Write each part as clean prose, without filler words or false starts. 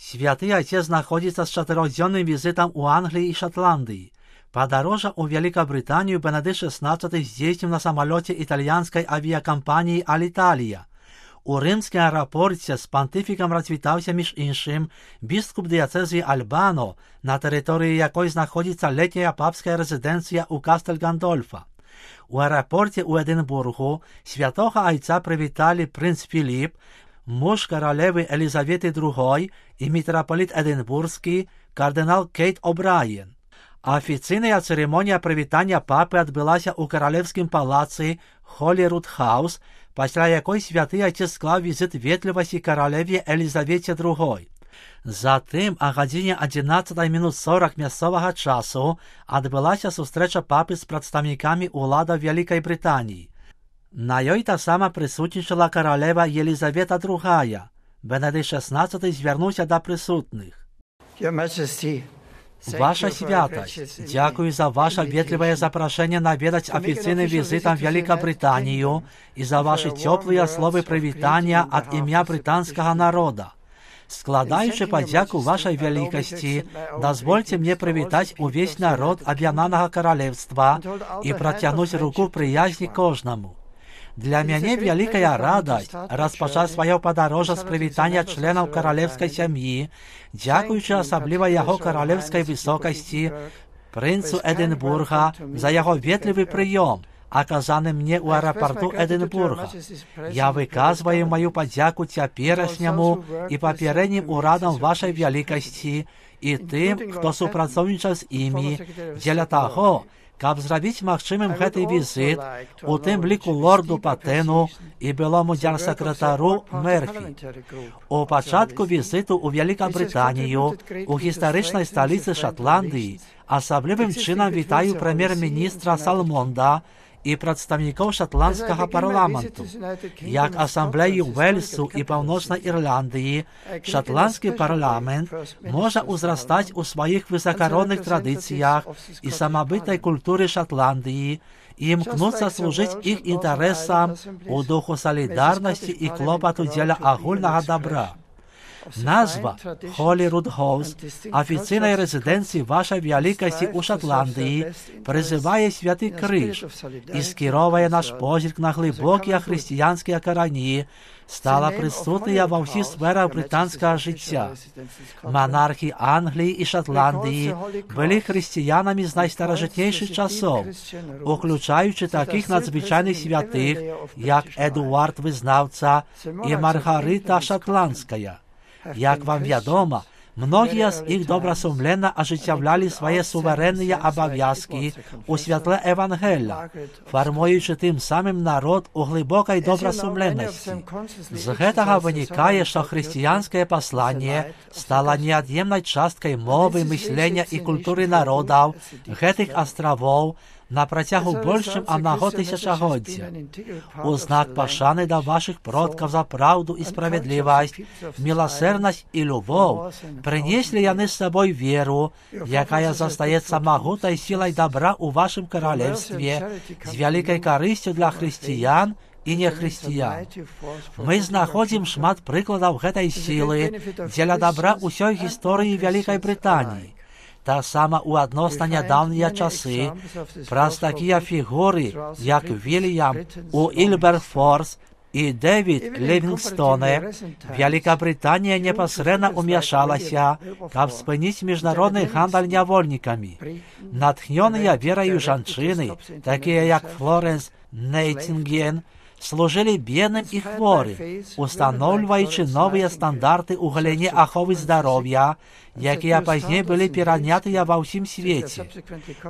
Святый Отец находится с 4-дневным визитом у Англии и Шотландии. По дороге в Великобританию Бенедикт XVI здійснив на самолете итальянской авиакомпании «Аліталія». У римському аеропорті з понтифіком розвітався між іншим біскуп дієцезії Альбано, на території якої знаходиться літня папська резиденція у Кастель-Гандольфа. У аеропорті у Единбургу святого Отця привітали принц Філіп, муж королеви Елізавети II і митрополит Единбурзький кардинал Кейт О'Брайен. Офіційна церемонія привітання папи відбулася у королевському палаці Холіруд-Хаус, після якої святий Отець склав візит вічливості королеві Елізаветі II. Затим, о годині 11:40 місцевого часу, відбулася зустріча папи з представниками улади Великої Британії. На їй так само присутнічала королева Єлизавета II. Бенедикт XVI звернувся до присутних. Ваша святость, дякую за ваше ветливое запрошение наведать официальным визитом в Великобританию и за ваши теплые слова привитания от имя британского народа. Складаючи подяку вашей великости, дозвольте мне привітать увесь народ Об'єднаного Королевства и протянуть руку приязни кожному. Для меня великая радость розпочати своє подорожжя з привітання членів королевської сім'ї, дякуючи особливо його королевської високості, принцу Единбурга, за його ветливий прийом, оказаний мені у аеропорту Единбурга. Я виказую мою подяку теперішньому і попереднім урадам вашої великості і тим, хто співпрацював з ними, для того, щоб зробити можливим цей візит, у тим ліку лорду Патену і білому держсекретару Мерфі. У початку візиту у Великобританію, у історичній столиці Шотландії, особливим чином вітаю прем'єр-міністра Салмонда і представників шотландського парламенту. Як асамблеї Уельсу і Північної Ірландії, шотландський парламент може узростати у своїх високородних традиціях і самобутній культурі Шотландії і мкнуться служити їх інтересам у духу солідарності і клопоту для огульного добра. Назва Холіруд-Хаус, офіційної резиденції вашої великості у Шотландії, призиває Святий Криж і скеровує наш погляд на глибокі християнські корені, стала присутня во всіх сферах британського життя. Монархи Англії і Шотландії були християнами з найстарожитніших часов, включаючи таких надзвичайних святих, як Едуард Визнавця і Маргарита Шотландська. Як вам відомо, многие з їх добросумленно ожитявляли свої суверенні обов'язки у світле Евангелія, формуючи тим самим народ у глибокій добросумленності. З цього виникає, що християнське послання стало неот'ємною часткою мови, мислення і культури народів цих островів на протягу більшим одного тисячогоддя. У знак пошани до ваших продків за правду і справедливість, милосердність і любов, принесли вони з собою віру, яка зостається могутною силою добра у вашому королівстві, з великою користю для християн і нехристиян. Ми знаходимо шмат прикладів цієї сили для добра усієї історії Великої Британії. Так само у відносно недавні часи про такі фігури, як Вільям Уілберфорс і Девід Лівінгстоне, Великобританія непосредньо умішалася, щоб спинити міжнародний гандль невольниками. Натхнені вірою жінки, такі як Флоренс Найтінгел, служили бідним і хворим, установлюючи нові стандарти у галині охорони здоров'я, які пізніше були перейняті во всім світі.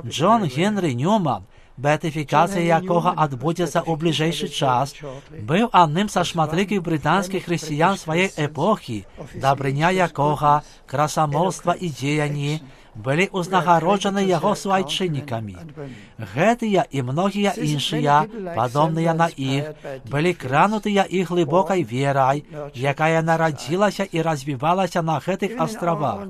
Джон Генрі Ньюман, беатифікація якого відбудеться у ближайший час, був одним з шматликих британських християн своєї епохи, добриня якого, красомовства і діяння былі ўзнагароджаны яго суайчыннікамі. Гэтыя і многія іншыя, падобныя на іх, былі кранутыя і глыбокай верай, якая нарадзілася і развівалася на гэтых астравах.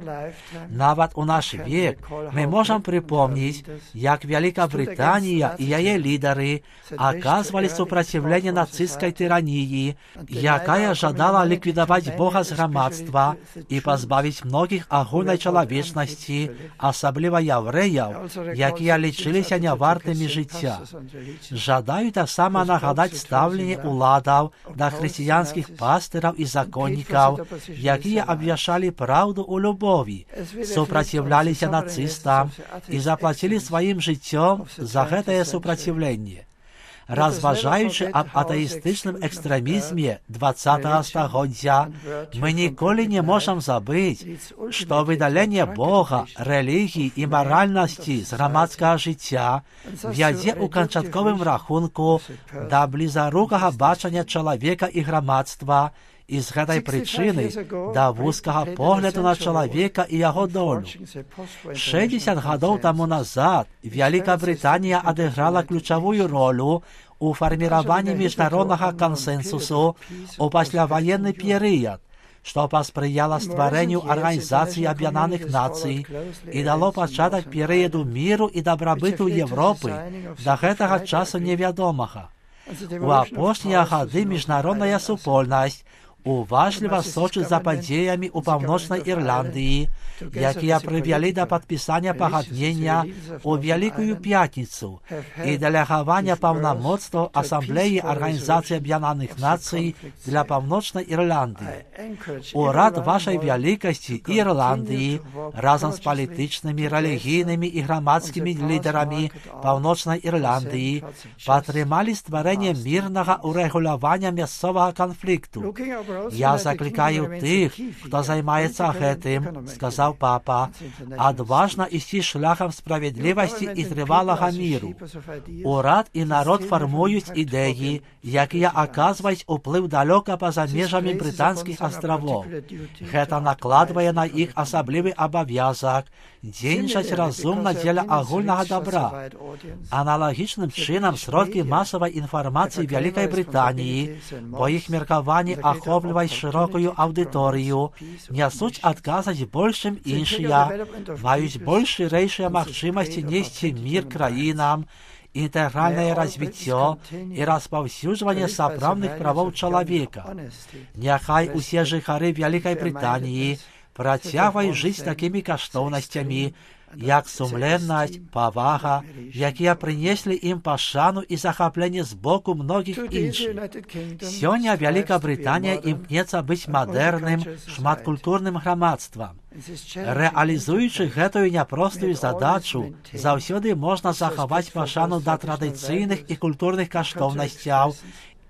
Нават у наш век мы можам припомніць, як Великобританія і яе лідары аказвалі супраціўленне нацысцкай тыраніі, якая жадала ліквідаваць Бога з грамадства і пазбавіць многіх агульнай чалавечнасці, асабліва яўрэяў, якія лічыліся нявартымі жыцця. Жадаю таксама нагадаць стаўленне ўладаў да хрысціянскіх пастыраў і законнікаў, якія абвяшчалі праўду ў любові, супраціўляліся нацыстам і заплацілі сваім жыццём за гэтае супраціўленне. Разважаючы аб атэістычным экстрэмізме 20-го стагоддзя, мы ніколі не можам забыць, што выдаленне Бога, рэлігіі і маральнасці з грамадскага жыцця вядзе ў канчатковым рахунку да блізарукага бачання чалавека і грамадства, і з гэтай прычыны да вузкага погляду на чалавека і яго долю. 60 гадоў таму назад Великобританія адыграла ключавую ролю у фарміраванні міжнароднага кансэнсусу ў пасляваенны перыяд, што паспрыяла стварэнню Арганізацыі Аб'яднаных Нацый і дало пачатак перыяду міру і дабрабыту Европы да гэтага часу невядомага. У апошнія гады міжнародная супольнасць уважліва сочыць за падзеямі ў Паўночнай Ірландыі, якія прывялі да падпісання пагаднення ў Вялікую Пятніцу і дэлегавання паўнамоцтваў Асамблеі Арганізацыі Аб'яднаных Нацый для Паўночнай Ірландыі. Урад вашай вялікасці Ірландыі разам з палітычнымі, рэлігійнымі і грамадскімі лідарамі Паўночнай Ірландыі падтрымалі стварэнне мірнага урэгулявання мясцовага канфлікту. Я закликаю тых, хто займаецца гэтым, сказаў папа, адважна ісці шляхам справядлівасці і трывалага міру. Урад і народ фармуюць ідэі, якія аказваюць уплыў далёка па-за межамі брытанскіх астравоў. Гэта накладвае на іх асаблівы абавязак дзейнічаць разумна дзеля агульнага добра. Аналагічным чынам сродкі масавай інфармацыі Вялікай Брытаніі, бо іх меркаванні ахопліваюць шырокую аўдыторыю, нясуць адказаць больш, чым іншыя, маюць больш шырэйшыя магчымасці несці мір краінам, інтэгральнае развіццё і распаўсюджванне сапраўдных правоў чалавека. Няхай усе жыхары Вялікай Брытаніі працягваюць жыць такімі каштоўнасцямі, як сумленнасць, павага, якія прынеслі ім пашану і захапленне з боку многіх іншых. Сёння Великобританія імкнецца быць мадэрным, шматкультурным грамадствам. Рэалізуючы гэтую няпростую задачу, заўсёды можна захаваць пашану да традыцыйных і культурных каштоўнасцяў,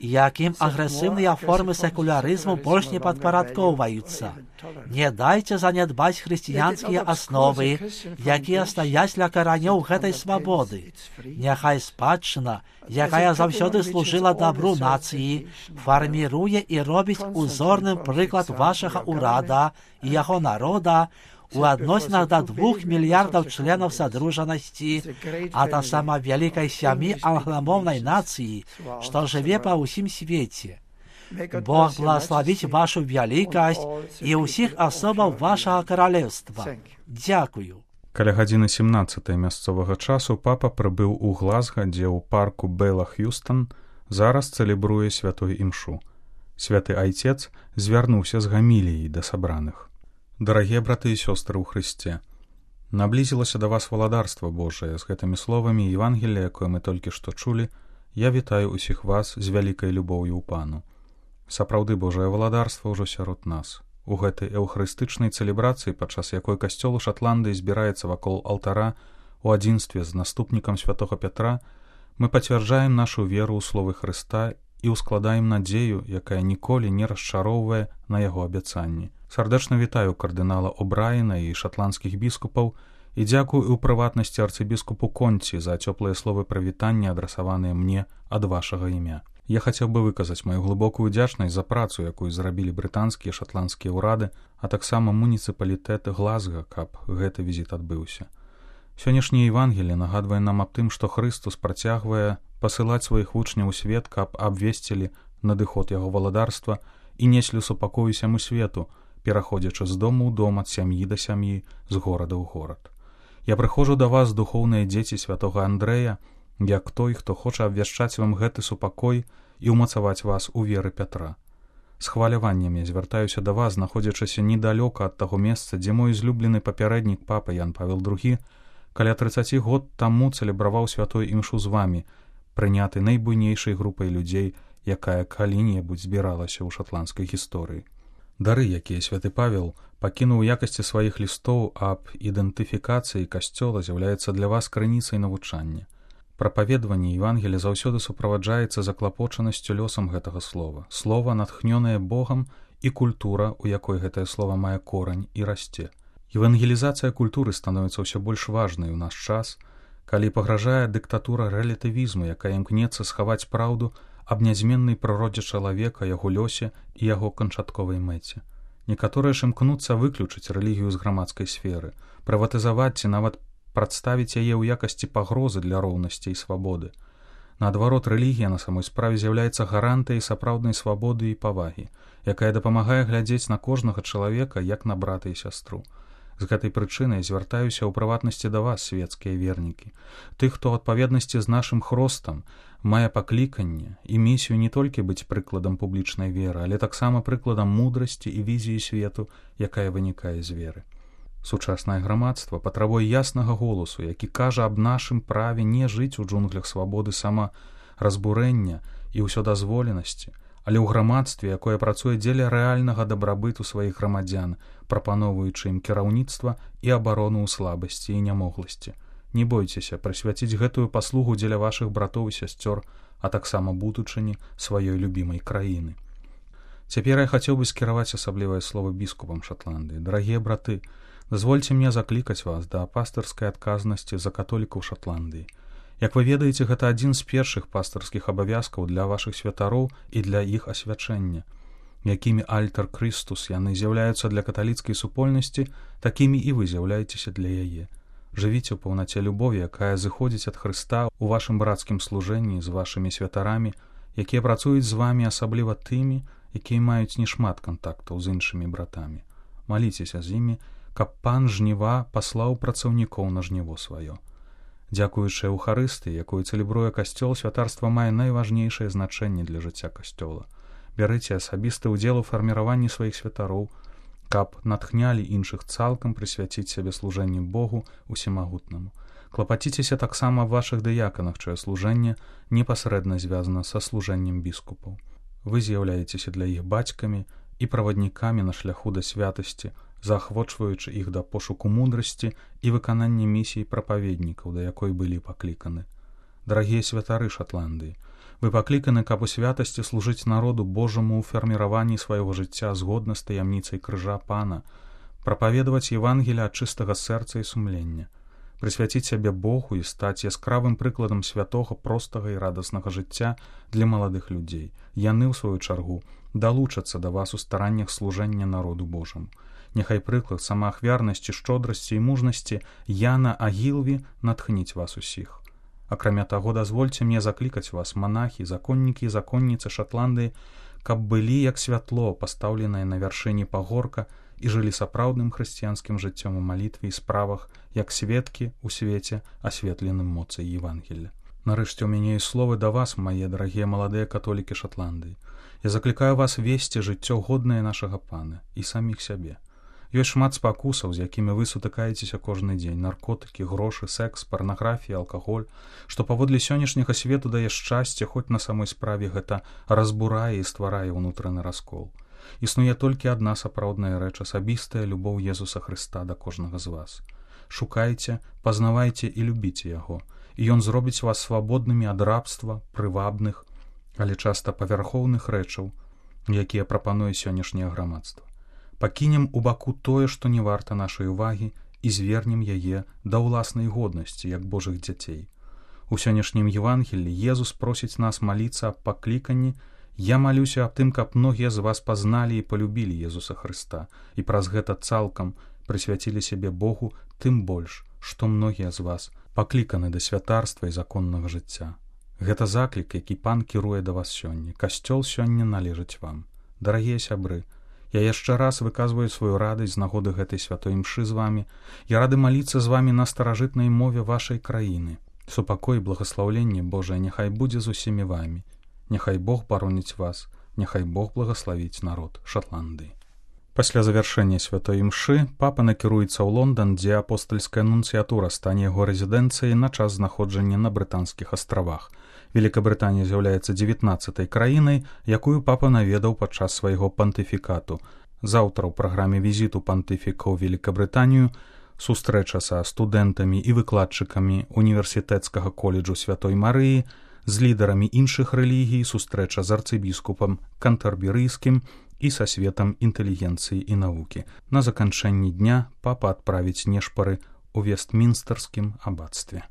якім агрэсіўныя формы секулярызму больш не падпарадкоўваюцца. Не дайце занядбаць хрысціянскія асновы, якія стаяць ля каранёў гэтай свабоды. Няхай спадчына, якая заўсёды служыла дабру нацыі, фарміруе і робіць узорным прыклад вашага ўрада і яго народа у адносінах да 2 мільярдаў членаў садружанасці, а таксама вялікай сям'і англамоўнай нацыі, што жыве па ўсім свеце. Бог благословіць вашу вялікасць і ўсіх асобаў вашага каралеўства. Дзякую. Каля гадзіны 17 мясцовага часу папа прыбыў у Глазга, дзе ў парку Бэла Х'юстон зараз цэлебруе святой імшу. Святы айцец звярнуўся з гаміліяй да сабраных. Дарагія браты і сёстры ў Хрысце, наблізілася да вас валадарства Божае. З гэтымі словамі Евангелія, якое мы толькі што чулі, я вітаю усіх вас з вялікай любоўю ў Пану. Сапраўды Божае валадарства ўжо сярод нас. У гэтай эўхарыстычнай цэлебрацыі, падчас якой касцёл у Шатландыі збіраецца вакол алтара у адзінстве з наступнікам святога Пятра, мы пацвярджаем нашу веру ў словы Хрыста і ускладаем надзею, якая ніколі не расчароўвае на яго абяцанні. Сардэчна вітаю кардынала О'Брайена і шатландскіх біскупаў і дзякую ў прыватнасці арцыбіскупу Конці за цёплыя словы прывітання, адрасаваныя мне ад вашага імя. Я хацеў бы выказаць маю глыбокую удзячнасць за працу, якую зрабілі брытанскія і шатландскія ўрады, а таксама муніцыпалітэт Глазга, каб гэты візіт адбыўся. Сённяшняе Евангелие нагадвае нам аб тым, што Хрыстус працягвае пасылаць сваіх вучняў у свет, каб абвесцілі надыход яго валадарства і неслі супакой усяму свету, пераходзячы з дому ў дом, ад сям'і да сям'і, з горада ў горад. Я прыходжу да вас, духоўныя дзеці святога Андрэя, як той, хто хоча абвяшчаць вам гэты супакой і ўмацаваць вас у веры Пятра. З хваляваннем я звяртаюся да вас, знаходзячыся недалёка ад таго месца, дзе мой злюблены папярэднік папа Ян Павел II каля 30 год таму цэлебраваў святую імшу з вамі, прыняты найбуйнейшай групай людзей, якая калі-небудзь збіралася ў шатландскай гісторыі. Дары, якія святы Павел пакінуў у якасці сваіх лістоў аб ідэнтыфікацыі касцёла, з'яўляецца для вас крыніцай навучання. Прапаведванне Евангелія заўсёды суправаджаецца заклапочанасцю лёсам гэтага слова. Слова, натхнёнае Богам, і культура, у якой гэтае слова мае корань і расце. Евангелізацыя культуры становіцца ўсё больш важнай у наш час, калі пагражае дыктатура рэлятывізму, якая імкнецца схаваць праўду аб нязменнай прыродзе чалавека, яго лёсе і яго канчатковай мэце. Некаторыя ж імкнуцца выключыць рэлігію з грамадскай сферы, прыватызаваць ці нават прадставіць яе ў якасці пагрозы для роўнасці і свабоды. Наадварот, рэлігія на самой справе з'яўляецца гарантыяй сапраўднай свабоды і павагі, якая дапамагае глядзець на кожнага чалавека як на брата і сястру. З гэтай прычынай звяртаюся ў прыватнасці да вас, свецкія вернікі, тых, хто ў адпаведнасці з нашым хростам мае пакліканне і місію не толькі быць прыкладам публічнай веры, але таксама прыкладам мудрасці і візіі свету, якая вынікае з веры. Сучаснае грамадства патрабуе яснага голасу, які кажа аб нашым праве не жыць у джунглях свабоды самаразбурэння і ўсёдазволенасці, але ў грамадстве, якое працуе дзеля рэальнага дабрабыту сваіх грамадзян, прапаноўваючы ім кіраўніцтва і абарону ў слабасці і нямогласці. Не бойцеся прысвяціць гэтую паслугу дзеля вашых братоў і сясцёр, а таксама будучыні сваёй любімай краіны. Цяпер я хацеў бы скіраваць асаблівае слова біскупам Шатландыі. Дарагія браты, дазвольце мне заклікаць вас да пастырскай адказнасці за католікаў Шатландыі. Як вы ведаеце, гэта адзін з першых пастырскіх абавязкаў для вашых святароў і для іх асвячэння. Якімі альтар Крыстус яны з'яўляюцца для каталіцкай супольнасці, такімі і вы з'яўляецеся для яе. Жывіце ў паўнаце любові, якая зыходзіць ад Хрыста ў вашым брацкім служэнні з вашымі святарамі, якія працуюць з вамі, асабліва тымі, якія маюць нешмат кантактаў з іншымі братамі. Маліцеся з імі, каб пан жніва паслаў працаўнікоў на жніво сваё. Дзякуючы Еўхарыстыі, якую цэлебруе касцёл, святарства мае найважнейшае значэнне для жыцця касцёла. Бярыце асабісты ўдзел у фарміраванні сваіх святароў, каб натхнялі іншых цалкам прысвяціць сябе служэнню Богу усемагутнаму. Клапаціцеся таксама аб вашых дыяканах, чыё служэнне непасрэдна звязана са служэннем біскупаў. Вы з'яўляецеся для іх бацькамі і праваднікамі на шляху да святасці, заахвочваючы іх да пошуку мудрасці і выканання місіі прапаведнікаў, да якой былі пакліканы. Дарагія святары Шатландыі, вы пакліканы, каб у святасці служыць народу Божаму ў фарміраванні свайго жыцця згодна з таямніцай крыжа Пана, прапаведаваць Евангелія ад чыстага сэрца і сумлення, прысвяціць сябе Богу і стаць яскравым прыкладам святога, простага і радаснага жыцця для маладых людзей. Яны, у сваю чаргу, далучацца да вас у стараннях служэння народу Божаму. Няхай прыклад самаахвярнасці, шчодрасці і мужнасці Яна Агілві натхніць вас усіх. Акрамя таго, дазвольце мне заклікаць вас, манахі, законнікі і законніцы Шатландыі, каб былі як святло, пастаўленае на вяршыні пагорка, і жылі сапраўдным хрысціянскім жыццём у малітве і справах, як сведкі ў свеце, асветленым моцай Евангелля. Нарэшце, у мяне і словы да вас, мае дарагія маладыя католікі Шатландыі. Я заклікаю вас весці жыццё годнае нашага Пана і саміх сябе. Ёсць шмат спакусаў, з якімі вы сутыкаецеся кожны дзень: наркотыкі, грошы, секс, парнаграфія, алкаголь, што паводле сённяшняга свету дае шчасце, хоць на самой справе гэта разбурае і стварае ўнутраны раскол. Існуе толькі адна сапраўдная рэч — асабістая любоў Езуса Хрыста да кожнага з вас. Шукайце, пазнавайце і любіце яго, і ён зробіць вас свабоднымі ад рабства, прывабных, але часта павярхоўных рэчаў, якія прапануе сённяшняе грамадства. Пакінем у баку тое, што не варта нашай увагі, і звернем яе да ўласнай годнасці, як Божых дзяцей. У сённяшнім Евангелі Езус просіць нас маліцца аб пакліканні: «Я малюся аб тым, каб многія з вас пазналі і палюбілі Езуса Хрыста, і праз гэта цалкам прысвяцілі сябе Богу, тым больш, што многія з вас пакліканы да святарства і законнага жыцця». Гэта заклік, які Пан кіруе да вас сёння. Касцёл сёння належыць вам. Дарагія сябры, я яшчэ раз выказваю сваю радасць з нагоды гэтай святой імшы з вамі. Я рады маліцца з вамі на старажытнай мове вашай краіны. Супакой і благаслаўленне Божае няхай будзе з усімі вамі. Няхай Бог бароніць вас, няхай Бог благаславіць народ Шатландыі. Пасля завяршэння святой імшы папа накіруецца ў Лондан, дзе апостальская нунцыятура стане яго рэзідэнцыяй на час знаходжання на Брытанскіх астравах. Великабрытанія з'яўляецца 19-й краінай, якую папа наведаў падчас свайго пантыфікату. Заўтра ў праграме візіту пантыфіка ў Великабрытанію сустрэча са студэнтамі і выкладчыкамі універсітэцкага коледжу Святой Марыі, з лідарамі іншых рэлігій, сустрэча з арцыбіскупам кантэрберыйскім і са светам інтэлігенцыі і навукі. На заканчэнні дня папа адправіць нешпары ў Вестмінстэрскім абацтве.